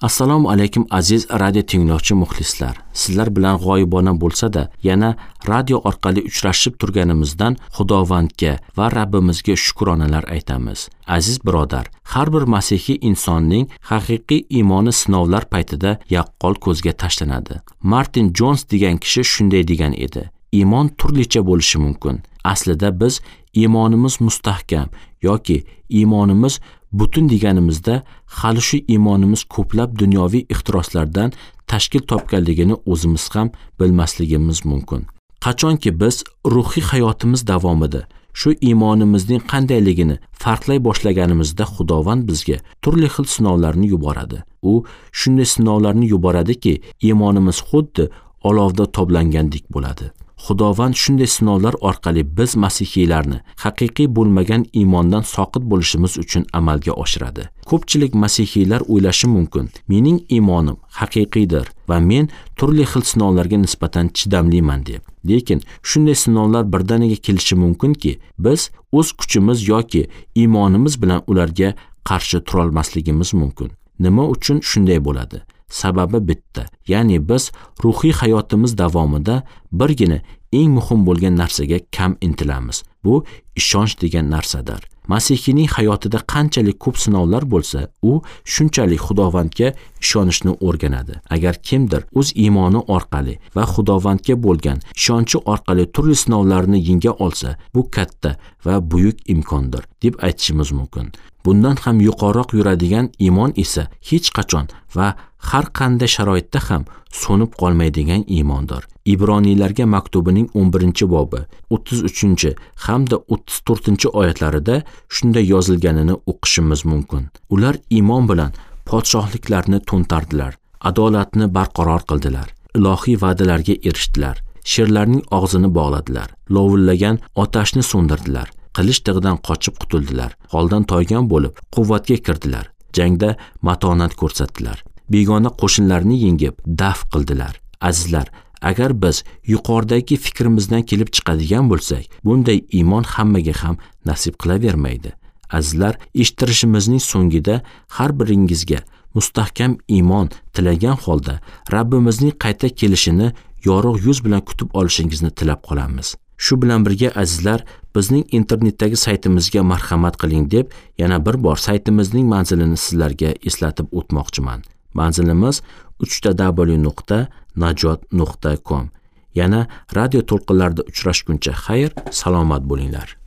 Assalomu alaykum aziz radio tinglovchi muxlislar. Sizlar bilan g'oyibona bo'lsa-da, yana radio orqali uchrashib turganimizdan Xudovandga va Rabbimizga shukronalar aytamiz. Aziz birodar, har bir masihiy insonning haqiqiy iymoni sinovlar paytida yaqqol ko'zga tashlanadi. Martin Jons degan kishi shunday degan edi: iymon turlicha bo'lishi mumkin. Aslida biz iymonimiz mustahkam yoki iymonimiz butun deganimizda hali shu iymonimiz ko'plab dunyoviy ixtiroslardan tashkil topganligini o'zimiz ham bilmasligimiz mumkin. Qachonki biz ruhiy hayotimiz davomida shu iymonimizning qandayligini farqlay boshlaganimizda Xudovand bizga turli xil sinovlarni yuboradi. U shunday sinovlarni yuboradiki, iymonimiz xuddi olovda toblangandek bo'ladi. Xudovand shunday sinovlar orqali biz masihiylarni haqiqiy bo'lmagan iymondan soqit bo'lishimiz uchun amalga oshiradi. Ko'pchilik masihiylar o'ylashi mumkin: mening iymonim haqiqiydir va men turli xil sinovlarga nisbatan chidamliman deb. Lekin shunday sinovlar birdaniga kelishi mumkinki, biz o'z kuchimiz yoki iymonimiz bilan ularga qarshi turolmasligimiz mumkin. Nima uchun shunday bo'ladi? Sababi bitta, ya'ni biz ruhiy hayotimiz davomida birgina eng muhim bo'lgan narsaga kam intilamiz. Bu ishonch degan narsadir. Masihiyning hayotida qanchalik ko'p sinovlar bo'lsa, u shunchalik Xudovandga ishonishni o'rganadi. Agar kimdir o'z iymoni orqali va Xudovandga bo'lgan ishonchi orqali turli sinovlarni yenga olsa, bu katta va buyuk imkondir deb aytishimiz mumkin. Bundan ham yuqoriroq yuradigan iymon esa hech qachon va har qanday sharoitda ham so'nib qolmaydigan iymondir. Ibroniylarga maktubining 11-bobi 33 hamda 34-oyatlarida shunday yozilganini o'qishimiz mumkin. Ular iymon bilan podshohliklarni to'ntardilar, adolatni barqaror qildilar, ilohiy va'dalarga erishdilar, sherlarning og'zini bog'ladilar, lovullagan otashni so'ndirdilar, qilich tig'idan qochib qutuldilar, holdan toygan bo'lib quvvatga kirdilar, jangda matonat ko'rsatdilar, begona qo'shinlarni yengib daf qildilar. Azizlar, agar biz yuqoridagi fikrimizdan kelib chiqadigan bo'lsak, bunday iymon hammaga ham nasib qilavermaydi. Azizlar, eshittirishimizning so'ngida har biringizga mustahkam iymon tilagan holda Rabbimizning qayta kelishini yorug' yuz bilan kutib olishingizni tilab qolamiz. Shu bilan birga azizlar, bizning internetdagi saytimizga marhamat qiling deb yana bir bor saytimizning manzilini sizlarga eslatib o'tmoqchiman. Manzilimiz www.najot.com. Yana radio to'lqinlarida uchrashguncha xayr, salomat bo'linglar.